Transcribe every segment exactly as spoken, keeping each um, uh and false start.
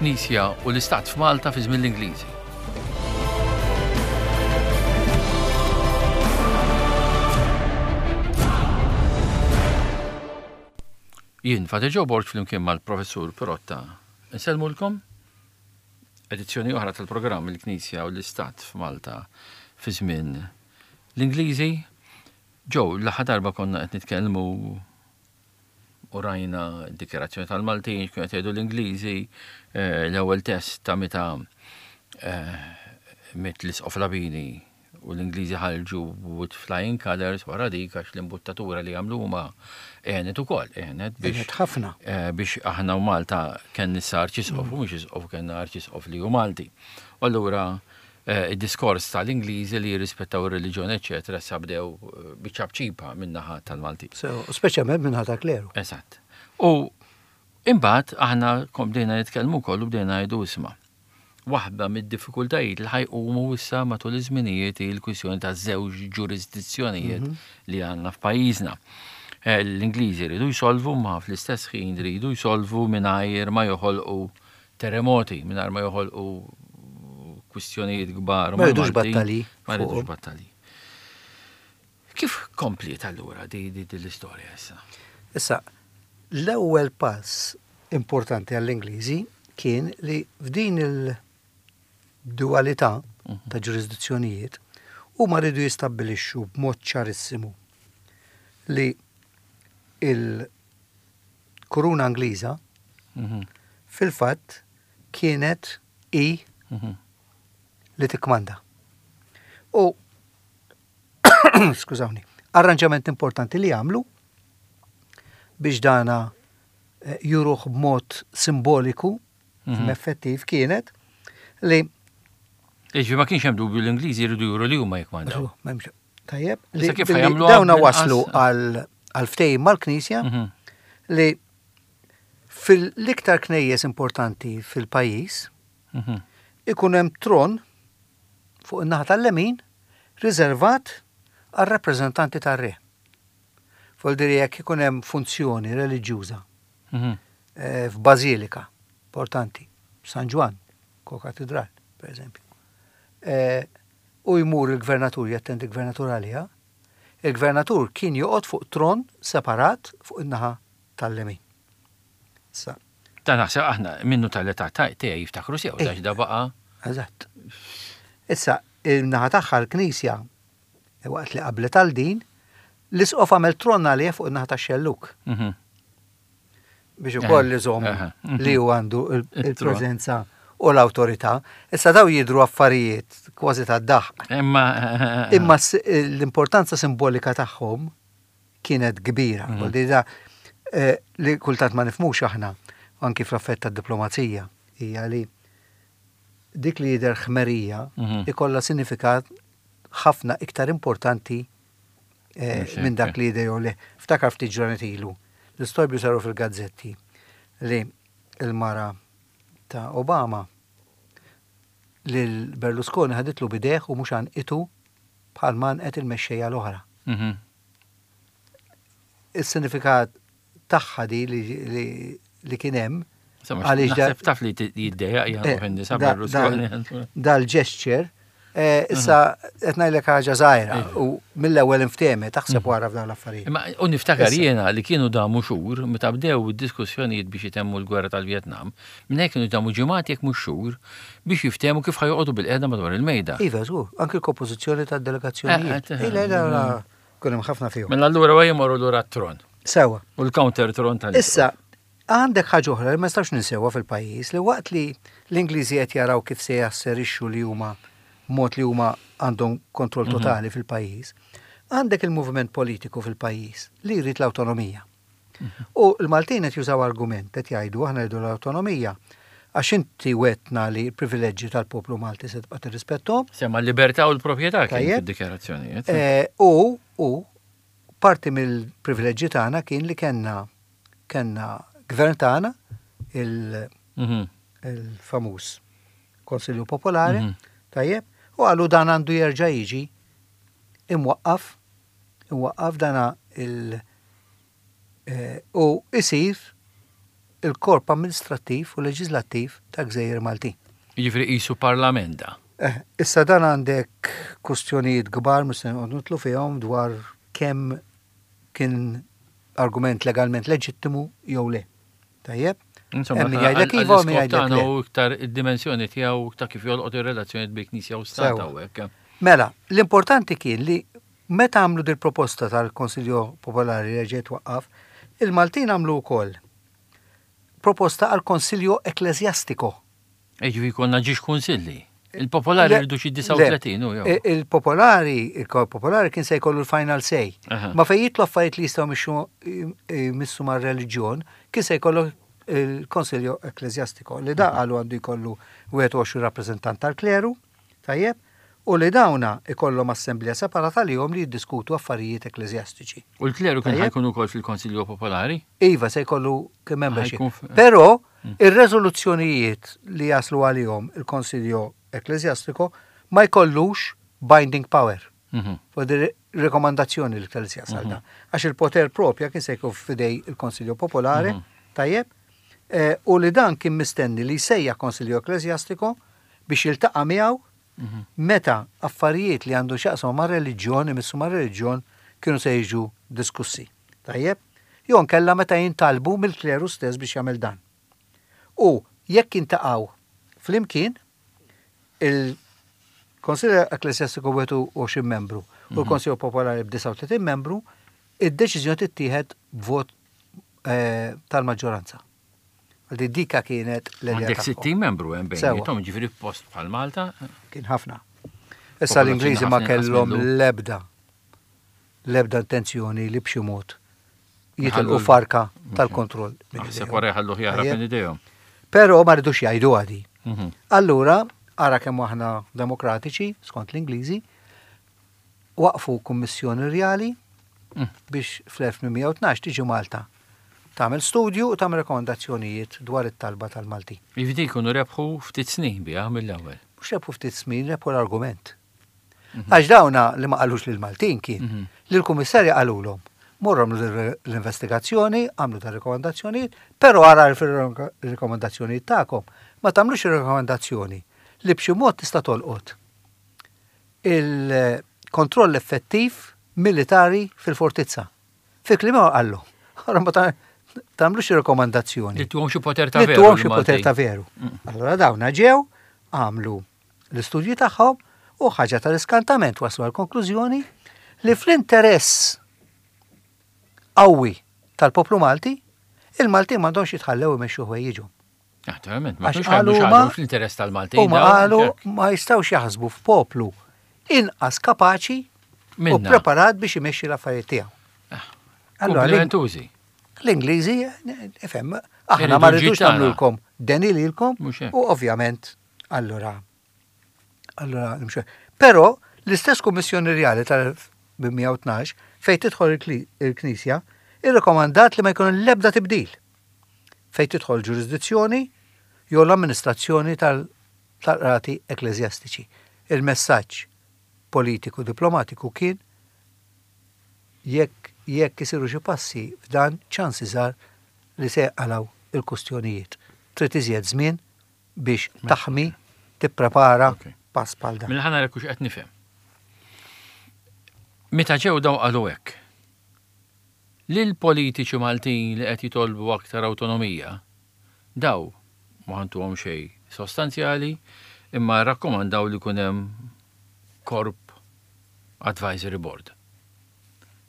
Il-Knisja u l-Istat f'Malta fi żmien l-Ingliżi. Jien Father Joe Borg flimkien mal-Professur Pirotta. Insellmulkom edizzjoni oħra tal-programm Il-Knisja u l-Istat f'Malta fi żmien l-Ingliżi. Joe, l-aħħar darba konna qed nitkellmu u rajna d-dikjarazzjoni tal-Maltin, x'kienu qed jgħidu l-Ingliżi, eh, l-ewwel test ta' meta eh, miet l-Isqof Labini u l-Ingliżi ħarġu with flying colors wara dik għax l-imbuttatura li għamlu huma għenet ukoll, għenet biex Għenet ħafna. eh, biex aħna u Malta kien issa arċisqof u mhux isqof kellna arċisqof li hu Malti. U allura eh, id-diskors tal-Ingliżi li jirrispettaw ir-reliġjon eċetera issa bdew eh, biċ-ċapċipa min-naħa tal-Malti. So, speċjalment minn ħata kleru. Eżatt. U imbagħad aħna kom bdejna nitkellmu wkoll u bdejna ngħidu isma'. Waħda mid-diffikultajiet li ħajqumu issa matul iż-żminijiet hi l-kwistjoni ta' żewġ ġurisdizzjonijiet li għandna f'pajjiżna. Eh, L-Ingliżi jridu jsolvu ma fl-istess ħin jridu jsolvu mingħajr ma joħolqu terremoti, mingħajr ma joħolqu kwistjonijiet kbar. Ma jridux mal-Maltin. battalji Ma jridux fuqhom. battalji. Kif kompliet allura di, di, di l-istorja issa? Issa, l-ewwel pass importanti għall-Ingliżi kien li f'din il-dualità ta' ġurisdizzjonijiet huma rridu jistabbilixxu b'mod ċarissimu li il-kuruna Ingliża fil-fatt kienet i li tikkmanda. U skużawni, arranġament importanti li għamlu biex dana eh, juruh b'mod simboliku, mm effettiv kienet li Iġi ma kienx hemm dubju l-Ingliżi jridu juru li huma jikkmandaw. M'hemmx- Tajjeb, li Issa kif billi ħajamluha dawna b'inqas- waslu għal għal ftehim mal-Knisja Mhm. li fil-iktar knejjes importanti fil-pajjiż Mhm. ikun hemm tron fuq in-naħa tal-lemin riservat għal rappreżentanti tar-re. Vuol jekk ikun hemm funzjoni reliġjuża Mhm. eh, f'bażilika importanti, San Ġwann, ko-katedral, per eżempju. Eh, u jmur il-gvernatur, jattendi il-gvernatur għaliha, il-gvernatur kien joqgħod fuq tron separat fuq in-naħa tal-lemin. Issa, Ta' naħseb aħna minnu tal-età ta' tiegħi jiftakru sew Eh. dax da baqa' Eżatt. Issa, il-naħa tagħha l-Knisja, eh, waqt li qablet għal din, l-isqof għamel tron għalih fuq in-naħa tax-xelluk Mhm. biex ukoll iżomm Aha. Mhm. li hu għandu il- Il-tron. il-preżenza u l-awtorità. Issa daw jidru affarijiet kważi tad-daħq. Imma Imma s- l-importanza simbolika tagħhom kienet kbira. Mhm. Vuol dire da, eh, li kultant ma nifmux aħna anki fl-affett tad-diplomazija hija li dik li jidher ħmerija Mhm. ikollha sinifikat ħafna iktar importanti eh, Mhux hekk, minn dak li jidher jew le. Ftakar ftit ġranet ilu. L-istorbju saru fil-gazzetti li il-mara ta' Obama lil Berlusconi ħaditlu bidejh u mhux għanqitu bħal ma għanqet il-mexxejja l-oħra. Mhm. Is-sinifikat tagħha di li, li, li kien hemm Insomma, għaliex da- naħseb taf li t- jiddejjaq eh, jgħan nisa da- Berlusconi. dal- Dal-gesture, eh, issa qed ngħidlek ħaġa żgħira u mill-ewwel inftehmet taħseb wara f'dawn l-affarijiet. Imma u niftakar Issa. jiena li kienu damu xhur meta bdew id-diskussjonijiet biex itemmu l-gwerra tal-Vjetnam, minn hekk kienu damu ġimgħat jekk mhux xhur biex jiftehmu kif ħajoqogħdu bil-qiegħda madwar il-mejda. Iva, żgur, anki l-kompożizzjoni tad-delegazzjonijiet. Eh, eh, Ila, ila, ila, kun hemm ħafna fihom. Mela allura għaj jmorru lura t-tron Sewa. u l-counter tron tal Issa, għandek ħaġa oħra li ma nistax ninsewha fil-pajjiż li waqt li l-Ingliżi qed jaraw kif se jasserixxu li huma mod li huma għandhom kontroll totali fil-pajjiż, għandek il-moviment politiku fil-pajjiż li jrid l-awtonomija. U l-Maltin qed jużaw argument qed jgħidu aħna rridu l-awtonomija għax inti wetna li l-privileġġi tal-poplu Malti se tibqa' tirrispettom. Semma l-libertà u l-proprjetà kien Tajjeb. fid-dikjarazzjonijiet. Eh, U u parti mill-privileġġi tagħna kien li kellna kellna gvern tagħna il- Mhm. il-famuż Konsilju Popolari, Mhm. tajjeb, u għalu dan għandu jerġa' jiġi imwaqqaf, imwaqqaf dana il- eh, u isir il-korp amministrattiv u leġislattiv ta' Gżejjer Maltin. Jiġifieri qisu parlament da. Eh, issa dan għandek kustjonijiet kbar mhux se noqgħod nidħlu fihom dwar kemm kien argument legalment leġittimu jew le. Tajjeb? Insomma, Hemm min jgħidlek iva u min jgħidlek le. U iktar id-dimensjoni tiegħu ta' kif jolqot ir-relazzjonijiet bejn Knisja u Stat Sewa. hawnhekk. Mela, l-importanti kien li meta għamlu dil proposta tal-Konsiljo Popolari li ġiet waqqaf, il-Maltin għamlu wkoll proposta għal Konsiljo Ecclesiastico. Jiġifieri konna żewġ kunsilli. Il-popolari Le, rridu xi le, disgħa u tletin u jew. i- Il-popolari, il-popolari kien se jkollu l-final say. Aha. Ma fejn jidħlu affarijiet li jistgħu mixu missu mar reliġjon, kien se jkollu il-Konsiljo Ecclesiastico li da qalu għandu jkollu wieħed u għoxrin rappreżentant tal-kleru, tajjeb, u li dawna ikollhom assemblea separata li li jiddiskutu affarijiet ekklesjastiċi. U l-kleru kien Tajjeb. ħa jkun ukoll fil-Konsilju Popolari? Iva, se jkollu kien membership. Ħa jkun f- Però ir-rezoluzzjonijiet li jaslu għalihom il-Konsiljo Ecclesiastico ma jkollux binding power. Mhm. Fuq di rekomandazzjoni li kelli jasal da. Għax il-poter propja kien se jkun f'idej il-Konsiljo Popolari, tajjeb, eh, u li dan kien mistenni li jsejjaħ Konsiljo Ecclesiastico biex jiltaqa' miegħu meta affarijiet li għandu x'jaqsmu ma' reliġjon, imissu ma' reliġjon, kienu se jiġu diskussi. Tajjeb? Jew nkella meta jintalbu mill-kleru stess biex jagħmel dan. U jekk jintaqgħu flimkien, il-Konsilju Ecclesiastico wieħed u għoxrin membru u l-Konsilju Popolari b'disgħa u tletin membru, id-deċiżjoni tittieħed b'vot eh, tal-maġġoranza. Għaldi dika kienet l-idea Għandek tagħhom. sittin membru hemm Sewa. bejniethom, ġifieri post bħal Malta. Kien ħafna. Issa l-Ingliżi ma ħafna inqas kellhom mill-lum. l-ebda l-ebda intenzjoni li b'xi mod jitilqu Jħallu- farka tal-kontroll. minn Naħseb idejhom. wara jħallu jaħrab Tajjeb. minn idejhom. Però ma rridux jgħidu għadi. Mhm. Allura, ara kemm aħna demokratiċi, skont l-Ingliżi, waqfu kummissjoni rjali Mm. biex fl-elf tmien mija u tnax tiġi Malta. Tagħmel studju u tagħmel rekomandazzjonijiet dwar it-talba tal-Malti. Jiġifieri jkunu rebħu ftit snin biha mill-ewwel. Mhux rebħu ftit snin, rebħu l-argument. Għax dawna li ma qalux lil Maltin kien, Mhm. li l-kummissarja qalulhom. Morru għamlu l-investigazzjoni, għamlu ta' rekomandazzjonijiet, però ara fil-rekomandazzjonijiet tagħkom ma tagħmlux ir-rekomandazzjoni li b'xi mod tista' tolqot il-kontroll effettiv militari fil-fortizza. Fi kliem qallu. Ara ma ta' tagħmlux ir-rekomandazzjoni. Li tuhom xi poter ta' Li veru. tuhom xi lill-Maltin. poter ta' veru. Allora dawna ġew, għamlu l-istudji tagħhom u ħaġa tal-iskantament waslu għal konklużjoni li fl-interess qawwi tal-poplu Malti, il-Malti m'għandhomx jitħallew imexxu ħwejjiġhom. Naturalment, ma Għax kienux għamlu qalu xi ma- ħaġa fl-interess tal-Maltin. U ma dawn, qalu hekk. ma jistgħux jaħsbu f'poplu inqas kapaċi u Minna. preparat biex imexxi l-affarijiet tiegħu. Allora, l- Komplimentużi. l-Ingliżi, ifhem, aħna Iridu ma rridux ġid tagħna. nagħmlulkom deni lilkom Mhux hekk. u ovvjament allora allora nimxu. Però l-istess Kummissjoni Rjali tal-elf tmien mija u tnax fejn tidħol il-kli- il-Knisja irrekomandat li ma jkun l-ebda tibdil fejn tidħol ġurisdizzjoni jew l-amministrazzjoni tal- tal-qrati ekklesjastiċi. Il-messaġġ politiku diplomatiku kien jekk jekk isiru xi passi f'dan ċansi żgħar li se jqalaw il-kustjonijiet. Trid iżjed żmien biex taħmi, tipprepara Ok. pass bħal dan. Mela ħa nara hux qed nifhem. Meta ġew daw qalu hekk. Lil politiċi Maltin li qed jitolbu aktar awtonomija, daw ma ħantuhom xejn sostanzjali, imma rakkomandaw li jkun hemm korp advisory board.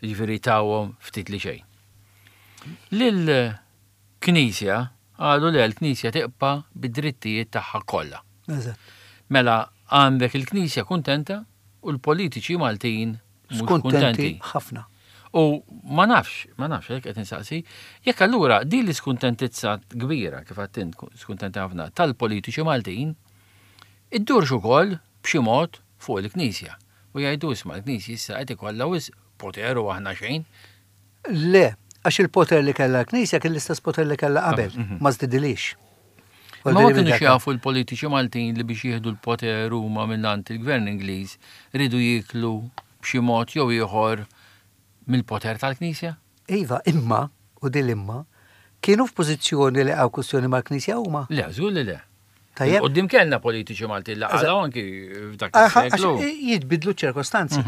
Jiġifieri tawhom ftit li xejn. Lil Knisja qalu li l-Knisja tibqa' bid-drittijiet tagħha kollha. Eżatt. Mela għandek il-Knisja kuntenta u l-politiċi Maltin mhux Skuntenti kuntenti. ħafna. U ma nafx, ma nafx, għalhekk qed insaqsi, jekk allura din l-iskuntentizza kbira kif għedt int skuntenti ħafna tal-politiċi Maltin, iddurx ukoll b'xi mod fuq il-Knisja. U jgħidu isma' l-Knisja issa qed ikollha wisq poter u aħna xejn. Le, għax il-poter li kellha l-Knisja kien l-istess poter li kellha qabel, ma żdidilix. Ma ma kienux jafu l-politiċi Maltin li biex jieħdu l-poter huma mill-ant il-gvern Ingliż ridu jieklu b'xi mod jew ieħor mill-poter tal-Knisja? Iva, imma, u dil imma, Kienu f'pożizzjoni li għaw kwistjoni mal-Knisja huma? Le, żgur li le. Tajjeb. Qoddim kellna politiċi Malti li għalaw anki f'dak Aha, għax is-seklu. jitbidlu ċirkostanzi.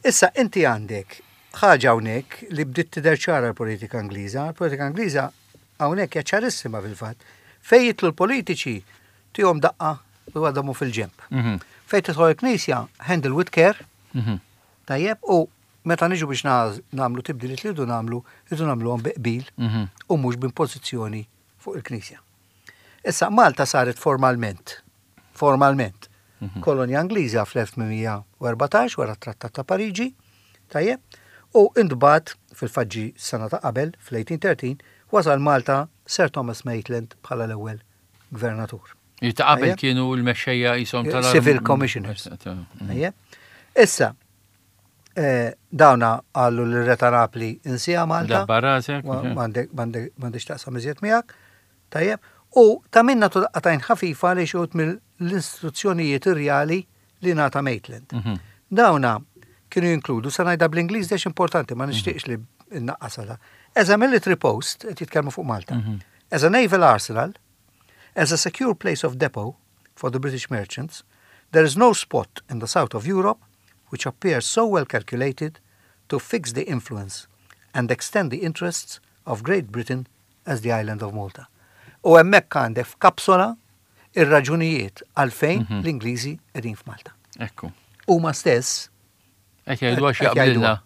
Issa, inti għandek ħaġa hawnhekk li bdiet tidher ċara l-politika Ingliża. Il-politika Ingliża hawnhekk hija ċarissima fil-fatt. Fejn jidħlu l-politiċi tihom daqqa u għadamu fil-ġemp. Mhm. Fejn tidħol il-Knisja, handle with care, Mhm. tajjeb, u meta niġu biex nagħmlu tibdiliet li rridu nagħmlu, rridu nagħmluhom bi qbil Mhm. u mhux b'impożizzjoni fuq il-Knisja. Issa Malta saret formalment, formalment, kolonja Ingliża fl-elf tmien mija u erbatax wara t-Trattat ta' Pariġi, tajjeb, u intbagħat fil-faġġi sena ta' qabel, fl-elf tmien mija u tlettax, wasal Malta Sir Thomas Maitland bħala l-ewwel gvernatur. Ta' qabel Tajjeb. kienu l-mexxejja jisom tal Civil commissioners. Tajjeb. Issa, eh, dawna qallu l-Re ta' Napli insiha Malta. Dabbar rasek. Ma- M'għandek m'għandek taqsam iżjed miegħek. Tajjeb. U ta' minna tudaqqatajn ħafifa li xi wħud mill-istruzzjonijiet irjali li ngħata Maitland. Mhm. Dawna kienu jinkludu, sa ngħidha bl-Ingliż għax importanti, ma nixtieqx li nnaqqasha. As a military post, qed jitkellmu fuq Malta. As a naval arsenal, as a secure place of depot for the British merchants, there is no spot in the south of Europe which appears so well calculated to fix the influence and extend the interests of Great Britain as the island of Malta. U hemmhekk għandek f'kapsola ir-raġunijiet għalfejn l-Ingliżi qegħdin f'Malta. Ekku. Huma stess Qed jgħidu għax Qed jaqblilna. jgħiduha.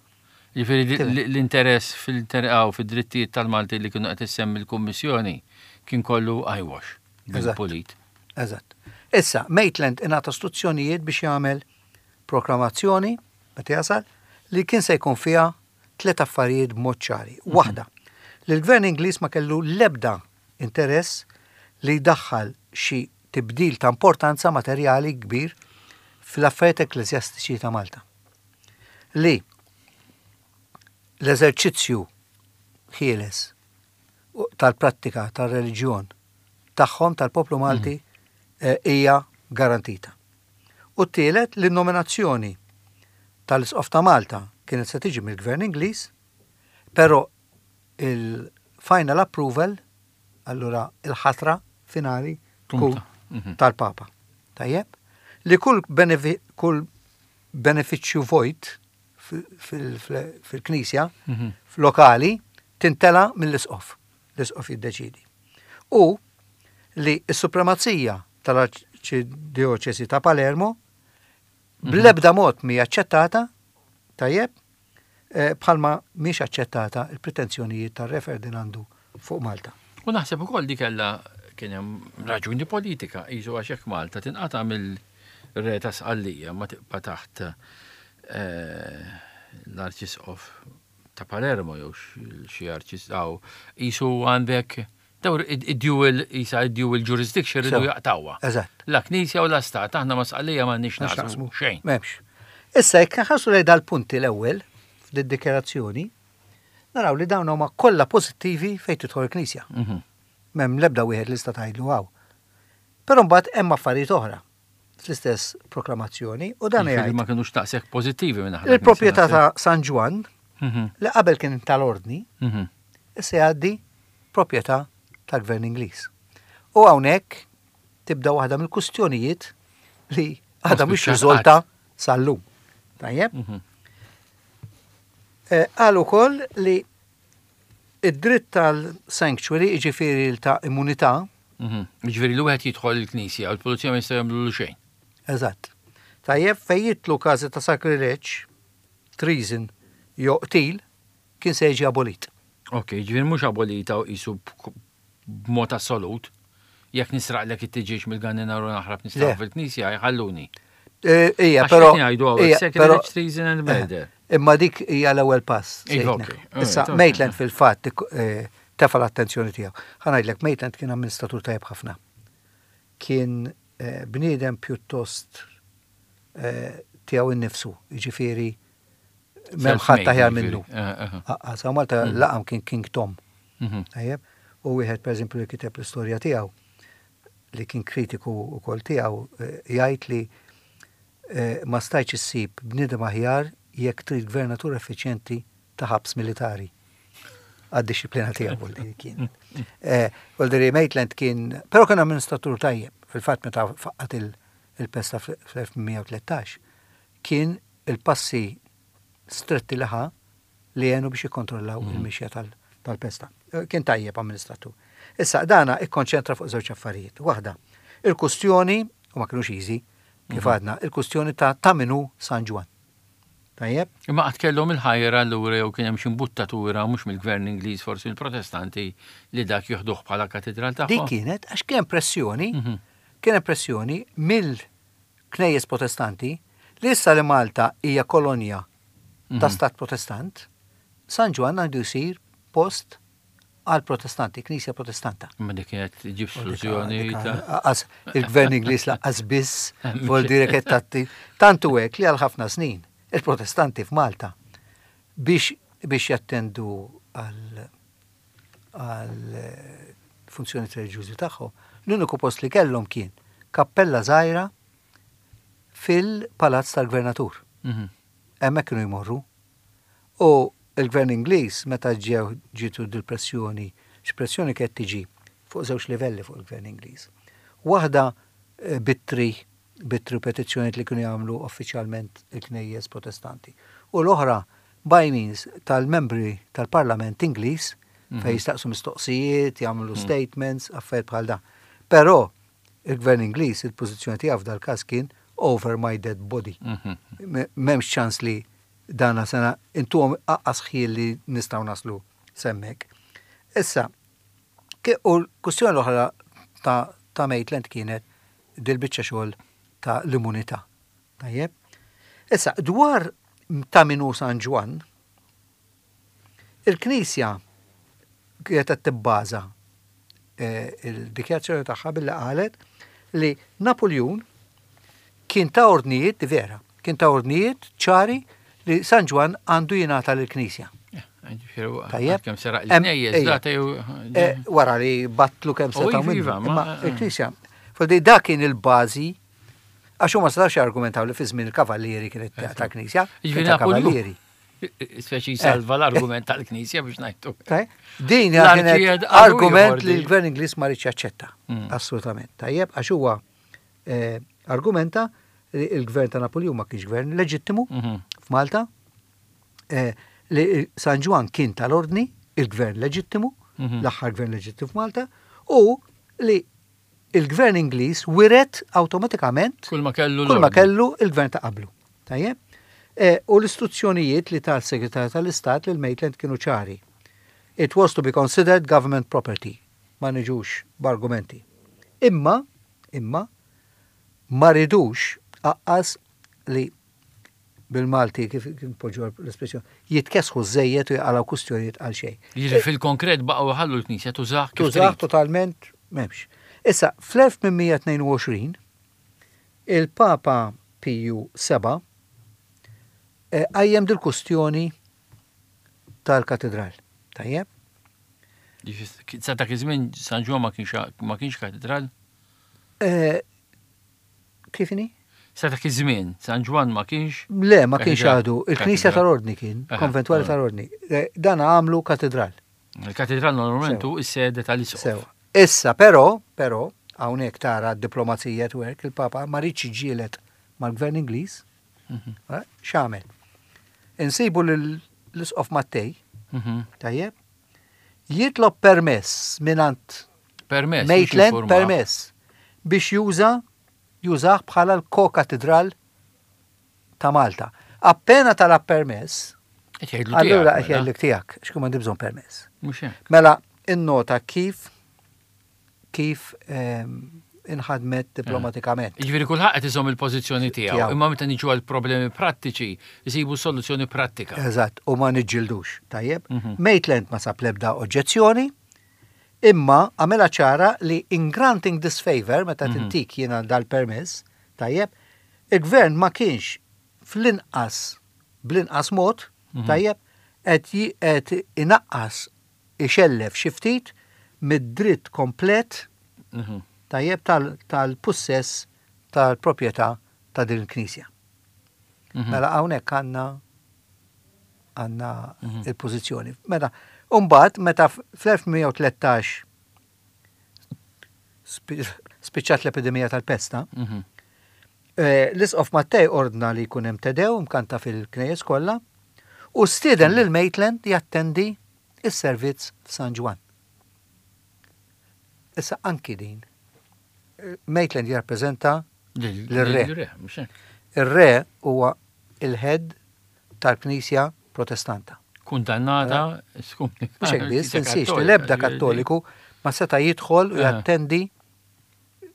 Ġifieri di- Tifhem. l-interess fil-terqaw fid-drittijiet tal-Malti li kienu qed issemmi l-Kummissjoni kien kollu eyewash Eżatt. bil-pulit. Eżatt. Issa, Maitland ingħata istruzzjonijiet biex jagħmel proklamazzjoni, meta jasal, li kien se jkun fiha tliet affarijiet b'mod ċari. Waħda, li l-gvern Ingliż ma kellu l-ebda interess li jdaħħal xi tibdil ta' importanza materjali kbir fl-affarijiet ekkleżjastiċi ta' Malta. Li l-eżerċizzju ħieles tal-prattika tal-reliġjon tagħhom tal-poplu Malti eh, hija garantita. U t-tielet li nominazzjoni tal-Isqof ta' Malta kienet se tiġi mill-Gvern Ingliż, però il-final approval, allura il-ħatra finali tkun Tkun mhm. tal-Papa. Tajjeb? Li kull, benefi kull benefiċċju vojt fil-Knisja, Mhm. lokali, tintela mill-Isqof. L-Isqof jiddeċidi. U li s-supremazija tal-Arċidioċesi ta' Palermo bl-ebda mod mi aċċettata, tajjeb, eh, bħalma mhix aċċettata il-pretenzjonijiet tar-Re Ferdinandu fuq Malta. U naħseb ukoll di kellha kien hemm raġuni politika, jisu għax hekk Malta tinqata' mill-re ta' Sqallija ma tibqa' taħt eh, l-Arċisqof ta' Palermo jew xi arċisqaw jisu għandek dawr id-dual jisa id-dual jurisdiction ridu Sew. jaqtawha. Eżatt. La Knisja u la Stat, aħna ma Sqallija m'għandniex naqsmu xejn. M'hemmx. Issa jekk nħarsu lejn dal-punti l-ewwel fid-dikjarazzjoni, naraw li dawn huma kollha pożittivi fejn tidħol il-Knisja. Mhm. M'hemm l-ebda wieħed li sta tgħidlu hawn. Però mbagħad hemm affarijiet oħra fl-istess proklamazzjoni u dan Jiġifieri jgħid ma kinux taqsek pożittivi minn aħna. il-proprjetà ta' San Ġwann Mhm, li qabel kien tal-ordni, mhm. issa jgħaddi proprjetà tal-Gvern Ingliż. U hawnhekk tibda waħda mill-kustjonijiet li għadha mhix spiċċat riżolta sal-lum. Tajjeb? Mhm. Eh, Qal ukoll li id-dritt tal-sanctuary, jiġifieri ta' immunità, Mhm. Jiġifieri li wieħed jidħol il-Knisja u l-pulizija ma jistgħu jagħmlu xejn. Eżatt. Tajjeb, fejn jidħlu każi ta' sakrileġġ, treason, jew qtil, kien se jiġi abolit. Ok, ġifieri mhux abolita u qisu b'mod assolut. Jekk nisraqlek it-tiġieġ mill-ganninar u naħrab nisraq Le. fil-Knisja jħalluni. Eh, Ija, Għax però. qed ngħidu hawnhekk, ija, però- sacrilege, treason and murder. Eh, Imma dik hija l-ewwel pass. Iva, sejtna. ok. Issa, Alright, ok. Maitland fil-fatt eh, tefa l-attenzjoni tiegħu. Ħa ngħidlek, Maitland kien amministratur tajjeb ħafna. Kien eh, bniedem pjuttost eh, tiegħu innifsu, jiġifieri m'hemm ħadd Self-made, aħjar jiġifieri. minnu. Eh, eh. Aqqas, hawn Malta laqam kien King Tom. Mhm. Tajjeb, u wieħed pereżempju li kiteb l-istorja tiegħu li kien kritiku wkoll tiegħu eh, jgħid li eh, ma stajtx issib bniedem aħjar jekk trid gvernatur effiċjenti ta' ħabs militari. Għad-dixxiplina tiegħu li kien. Voldiri Maitland kien, però kien amministratur tajjeb, fil-fatt meta faqqat il-pesta fl-elf tmien mija u tlettax, kien il-passi stretti li ħa li għenu biex jikkontrollaw mhm. il-mixja tal-pesta. Kien tajjeb amministratur. Issa, dana ikkonċentra fuq żewġ affarijiet. Waħda, il-kustjoni, u ma kienux easy, kif mhm. għadna, il-kustjoni ta' ta' min hu San Ġwann. Tajjeb? Imma qatt kellhom il-ħajra allura jew kien hemm xi imbuttatura mhux mill-gvern Ingliż, forsi mill-Protestanti, li dak joħduh bħala katedral tagħhom? Dik kienet għax kien pressjoni, mhm. kien pressjoni mill-knejjes Protestanti li issa li Malta hija kolonja ta' mhm. stat Protestant, San Ġwann għandu jsir post għal Protestanti, knisja Protestanta. Ma dik kienet ġib soluzzjoni. Il-gvern Ingliż lanqas biss, vol dire tatti. Tantu hekk li għal ħafna snin il-Protestanti f'Malta biex biex jattendu għal għal funzjoni reliġjużi tagħhom, l-uniku post li kellhom kien kappella żgħira fil-palazz tal-gvernatur. Mhm. Hemmhekk kienu jmorru. U il-gvern Ingliż meta ġew ġitu dil-pressjoni, x'pressjoni kienet tiġi fuq żewġ livelli fuq il-gvern Ingliż. Waħda eh, b'ittri b'ittri petizzjonijiet li kienu jagħmlu uffiċjalment il-knejjes Protestanti. U l-oħra by means tal-membri tal-Parlament Ingliż mhm. fejn jistaqsu mistoqsijiet, jagħmlu mhm. statements, affarijiet bħal dan. Però il-gvern Ingliż, il-pożizzjoni tiegħu f'dal-każ kien "over my dead body". Mhm. M'hemmx ċans li dana sena intuhom aqqas ħjiel li nistgħu naslu s'hemmhekk. Issa, u l-kustjoni l-oħra ta', ta Maitland kienet dil-biċċa xogħol ta' l-immunità. Tajjeb? Issa, dwar ta' min hu San Ġwann, il-Knisja kienet qed tibbaża eh, il-dikjarazzjoni tagħha billi qalet li Napoleon kien ta ordnijiet, di vera, kien ta ordnijiet ċari li San Ġwann għandu jingħata lill-Knisja. Tajjeb. Kemm seraq il-knejjes, data jew. Eh, wara li battlu kemm setgħu minnu. Iva, Imma il-Knisja, Fodi dak kien il-bażi għax huma setgħux jargumentaw li fi żmien il-Kavallieri kienet ta' Knisja. Jiġifieri kien ta' Kavallieri. Speċi salva l-argument tal-Knisja biex ngħidu. Din L-arċi kienet għadu argument ieħor li di. l-gvern Ingliż ma riedx jaċċetta. Mm. Assolutament. Tajjeb, għax huwa eh, argumenta li il-gvern ta' Napoleon ma kienx gvern leġittimu Mhm. f'Malta, eh, li San Ġwann kien tal-ordni, il-gvern leġittimu, Mhm. l-aħħar gvern leġittimu f'Malta, u li il-gvern Ingliż wiret awtomatikament Kull ma kellu kull ma l-ordni. kellu il-gvern ta' qablu. Tajjeb? E, u l-istruzzjonijiet li tal-Segretarju tal-Istat lil Maitland kienu ċari. It was to be considered government property. Ma niġux b'argumenti. Imma, imma, ma ridux aqqas li bil-Malti kif kif poġġu l-espressjoni, jitkesħu żejjed u jaqalgħu kustjonijiet għal xejn. Jiġifieri fil-konkret baqgħu ħallu l-Knisja tużah kif Tużaħ trid. totalment m'hemmx. Issa, fl-elf tmien mija tnejn u għoxrin, il-Papa Piju Seba eh, qajjem dil-kustjoni tal-katedral. Tajjeb? Jiġifieri, sa dak iż-żmien San Ġwann ma kienx ma kienx katedral. Eh, Kif inhi? Sa dak iż-żmien San Ġwann ma kienx. Le, ma kienx Katedral. għadu. Il-Knisja Katedral. tal-Ordni kien, Aha, konventwali aha. tal-Ordni. Eh, Dan għamlu katedral. Il-katedral normalment Sew. hu is-sede tal-isqof. Sew. Issa, però, però, hawnhekk tara d-diplomazija at work, il-Papa ma riedx jiġġieled mal-gvern Ingliż. Mhm. Eh, X'għamel? Insibu l-isqof Mattei, Mhm. tajjeb, jitlob permess mingħand Permess. mhux Maitland informah. permess biex juża jużah bħala l-ko-katedral ta' Malta. Appena talab permess, Qed jgħidlu allura tiegħek, qed mela. jgħidlek tiegħek, x'kun m'għandi bżonn permess. Mhux hekk. Mela, innota kif kif ehm, inħadmet diplomatikament. Jiġifieri kulħadd qed iżomm il-pożizzjoni tiegħu, Tiegħu. imma meta niġu għal problemi prattiċi, jsibu soluzzjoni prattika. Eżatt, u ma niġġildux, tajjeb. Mhm. Maitland ma sab lebda oġġezzjoni, imma għamela ċara li in granting this favor, meta Mhm. tintik jiena dal-permess, tajjeb, il-gvern ma kienx fl-inqas, bl-inqas mod, Mhm. tajjeb, qed ji- qed inaqqas ixellef xi ftit mid-dritt komplet Mhm. tajjeb tal- tal-pussess tal-proprjetà ta' din il-knisja. Mhm. Mela hawnhekk għandna Għandna il-pożizzjoni. Meta, Umbagħad, meta fl-elf tmien mija u tlettax spiċċat l-epidemija tal-pesta, Mhm. eh, l-Isqof Mattei ordna li jkun hemm Te Deum mkanta fil-knejjes kollha u stieden lil Maitland jattendi is-servizz f'San Ġwann. Issa anki din. eh, Maitland jirrappreżenta L-re. L-re, mhux hekk. Ir-re huwa il-head tal-Knisja Protestanta. Kundannata, skumnikata. Mhux hekk biss, tinsiex li l-ebda Kattoliku ma seta' jidħol u Eh. jattendi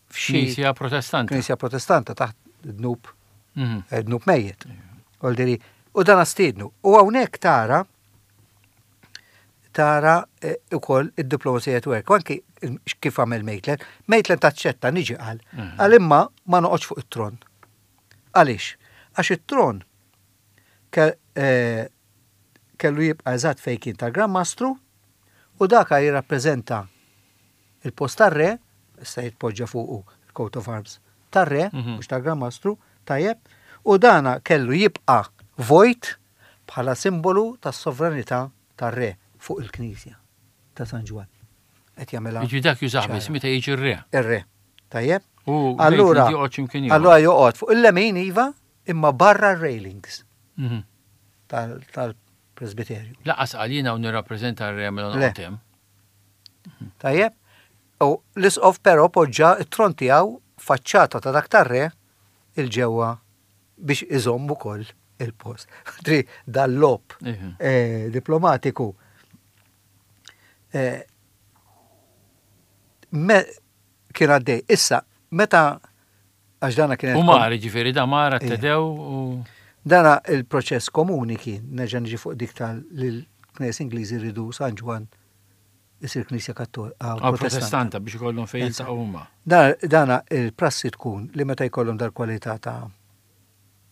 f'xi Knisja Protestanta. Knisja Protestanta taħt dnub Mhm. eh, dnub mejjet. Oldiri, u dan stiednu. U hawnhekk tara tara eh, ukoll id-diplomazija at work. U anki kif għamel Maitland. Maitland taċċetta niġi qal. Mhm. Qal imma ma noqgħodx fuq it-tron. Għaliex? Għax it-tron ke- eh, kellu jibqa' eżatt fejn kien tal-Gran Mastru u daka jirrappreżenta il-post tar-re, issa jitpoġġa fuqu il-coat of arms tar-re, Mhm. mhux tal-Gran Mastru, tajjeb, u dana kellu jibqa' vojt bħala simbolu tas-sovranità tar-re fuq il-Knisja ta' San Ġwann. Qed jagħmilha Jiġi dak jużah biss ċara. meta jiġi r-re. Ir-re. Tajjeb? U Allura, Maitland joqgħod x'imkien ieħor. allura joqgħod fuq il-lemin iva, imma barra r-railings Mhm. tal- tal-presbiterju. Lanqas qal jiena u nirrappreżenta r-re mela Le. noqgħod hemm. Tajjeb? U l-isqof però poġġa it-tron tiegħu faċċata ta' dak tar-re 'il ġewwa biex iżomm ukoll il-post. Tri dal-logħob Iħ. eh, diplomatiku eh, me kien għaddej. Issa, meta għax dana kienet U mar, ġifieri da mar Ija. Te Deum u. Dana il-proċess komuni kien, nerġa' niġi fuq dik tal l-Knisja Ingliżi rridu San Ġwann isir Knisja Kattolika, Ah, Protestanta. Protestanta biex ikollhom fejn jiltaqgħu huma. Dana, dana il-prassi tkun li meta jkollhom dal-kwalità ta'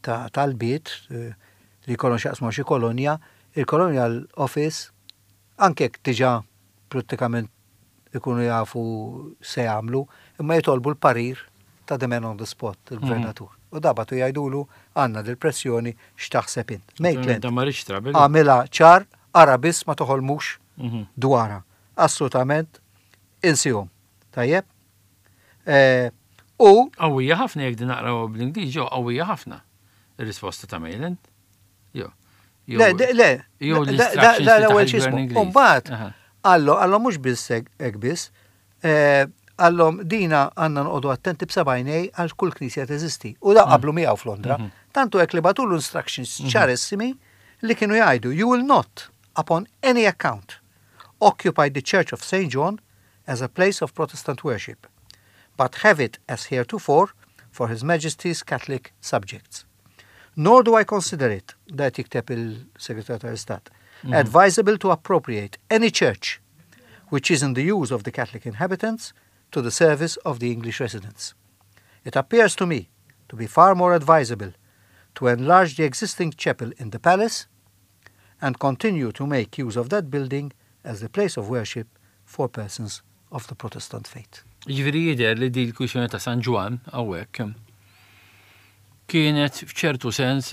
ta' talbiet eh, li jkollhom x'jaqsmu xi kolonja, il-Colonial Office anke jekk diġà prattikament ikunu jafu se jagħmlu, imma jitolbu l-parir ta' the man on the spot, il-gvernatur. U dabatu jgħidulu għandna dil-pressjoni, x'taħseb int? Maitland Da ma rridx trabil. għamilha ċar, ara biss ma toħolmux Mhm. dwarha. Assolutament insihom. Tajjeb? Eh, U Qawwija ħafna jekk din naqraw bl-Ingliż, ġew qawwija ħafna. Ir-risposta ta' Maitland. Jo. Jew- le, de- le, jew da- l-instructions da- li l-ewwel taħ x'ismu. il-Gvern Ingliż. Umbagħad Aha. Allo, allo mhux biss hekk hekk biss, eh, għallhom dina għandna noqogħdu attenti b'seba' għajnej għal kull knisja teżisti. U da qablu miegħu f'Londra. Tantu hekk li bagħtulu instructions ċarissimi li kienu jgħidu: "You will not upon any account occupy the Church of Saint John as a place of Protestant worship, but have it as heretofore for His Majesty's Catholic subjects. Nor do I consider it," da jikteb il-Segretarju tal-Istat, "advisable to appropriate any church which is in the use of the Catholic inhabitants to the service of the English residents. It appears to me to be far more advisable to enlarge the existing chapel in the palace and continue to make use of that building as the place of worship for persons of the Protestant faith." Ġifieri jidher li di l-kwistjoni ta' San Ġwann hawnhekk kienet f'ċertu sens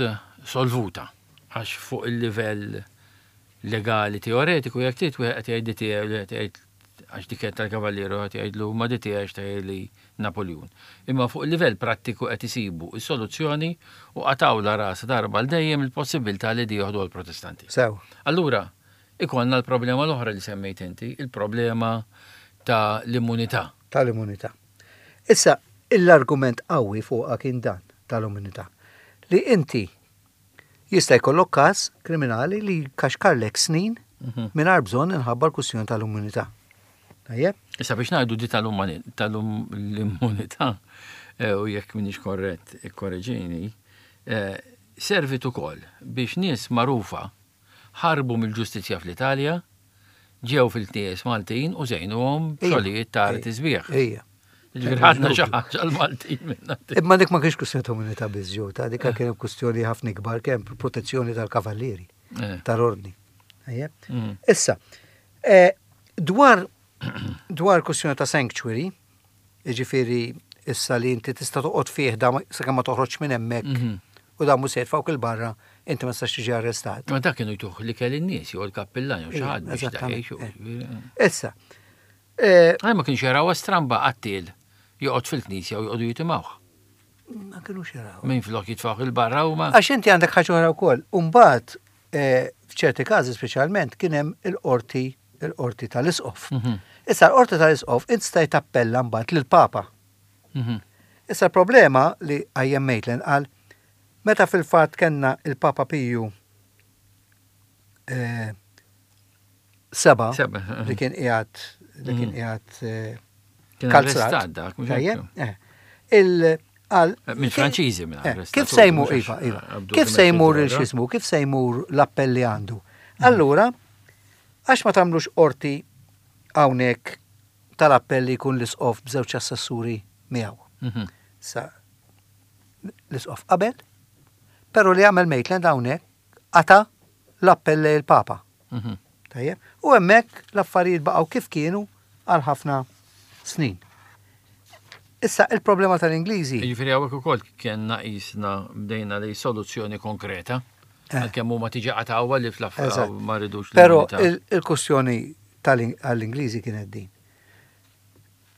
solvuta għax fuq il-livell legali teoretiku jekk trid wieħed qed jgħid tiegħu li qed jgħid għax dik kienet tal-Kavalieru qed jgħidlu ma di tiegħek ta' li Napoleon. Imma fuq il-livell prattiku qed isibu is-soluzzjoni u qatgħu ras darba l dejjem il-possibilità li di joħdu l-Protestanti. Sew. Allura, ikollna l-problema l-oħra li semmejt inti, il-problema ta' l-immunità. Tal-immunità. Issa, l-argument qawwi fuqha kien dan tal-immunità. Li inti jista' jkollok każ kriminali li kaxkarlek snin mingħajr bżonn inħabba l-kwistjoni tal-immunità. Tajjeb? Issa biex ngħidu di tal-immunità, eh, u jekk minix korrett, ikkorreġini, eh, servit ukoll biex nies magħrufa ħarbu mill-ġustizzja fl-Italja, ġew fil-knejjes Maltin u żejnuhom Ija. xogħlijiet ta' arti sbieħ. Ija. Ġifieri ħadna xi ħaġa l-Maltin minna. Imma dik ma kienx kwistjoni ta' immunità biss ġew, ta' dik kien kwistjoni ħafna ikbar, kemm protezzjoni tal-kavallieri, Eh. tal-ordni. Tajjeb? Mm. Issa, eh, dwar dwar kwistjoni ta' sanctuary, jiġifieri issa li inti tista' toqgħod fih da ma- sakemm ma toħroġ minn hemmhekk Mhm. u da mhux se jitfgħuk 'il barra inti ma tistax tiġi arrestat. Ma dak kienu jtuh li kelli n-nies jew il-kappillan jew xi ħadd biex dak Eżattament, jgħixu. eh. Issa, eh, Għaj ma kienx jaraw stramba qattiel joqgħod fil-knisja u joqogħdu jitimgħuh. Ma kienux jaraw. Min flok jitfgħuh il-barra u ma. Għax inti għandek ħaġa oħra wkoll. Umbagħad eh, f'ċerti każi speċjalment kien hemm il-qorti il-qorti tal-isqof. Mhm. Issa l-qorti tal-isqof int stajt tappella mbagħad lill-Papa. Mhm. Issa l-problema li qajjem Maitland qal meta fil-fatt kellna il-Papa Piju eh, seba Seba, li kien qiegħed li kien Mhm. qiegħed eh, Kien kalzrat. arrestat dak, mhux Tajjeb? hekk? Eh. Il għal Minn Franċiżi minn Eh, arrestat. Kif se jmur, iva, iva. Kif se jmur il-xismu, kif se jmur l-appell li għandu? Allura, għax ma tagħmlux qorti hawnhekk tal-appell li jkun l-isqof b'żewġ assessuri miegħu. Mhm. Sa l-isqof qabel, però li għamel Maitland hawnhekk qata l-appell lejn il-Papa. Mhm. Tajjeb? U hemmhekk l-affarijiet baqgħu kif kienu għal ħafna snin. Issa il-problema tal-Ingliżi. Jiġifieri hawnhekk ukoll kienna qisna bdejna li soluzzjoni konkreta. Eh. Għalkemm huma tiġi qatgħuha li fl-affarijiet Eżatt. ma rridux Però l-unità. il- il-kwestjoni tal-Ingliżi kienet din.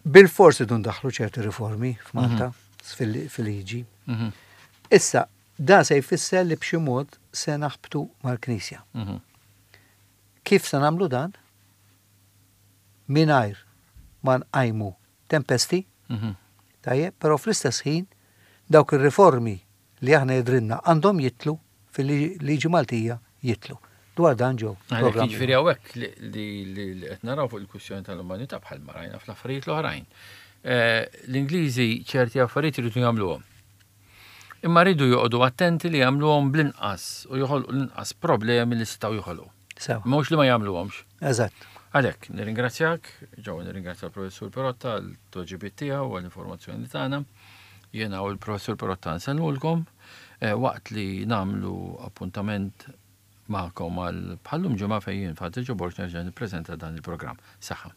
Bil-forsi dun daħlu ċerti riformi f'Malta, fil- fil-liġi. Mhm. Issa, dan se jfisser li b'xi mod se naħbtu mal-Knisja. Mhm. Kif se nagħmlu dan? Mingħajr ma nqajmu tempesti, Mhm. tajjeb, però fl-istess ħin dawk ir-riformi li aħna jidrinna għandhom jitlu fil-liġi Maltija jitlu. Dwar dan ġew. Għalhekk programmi. jiġifieri hawnhekk li li- li li qed naraw fuq il-kwistjoni tal-umanità bħal ma rajna fl-affarijiet l-oħrajn. Eh, L-Ingliżi ċerti affarijiet iridu jagħmluhom. Imma rridu joqogħdu attenti li jagħmluhom bl-inqas u joħolqu l-inqas problemi li setgħu joħolqu. Sewa. Mhux li ma jagħmluhomx. Eżatt. Għalhekk, nirringrazzjak, ġew nirringrazzja l-Professur Perotta għal tweġibiet tiegħu u għall-informazzjoni li tagħna. Jiena u l-Professur Perotta nsellmulkom eh, waqt li nagħmlu appuntament magħkom għal bħallum ġimgħa fejn jien Father Joe Borg nerġa' nippreżenta dan il-programm. Saħħa.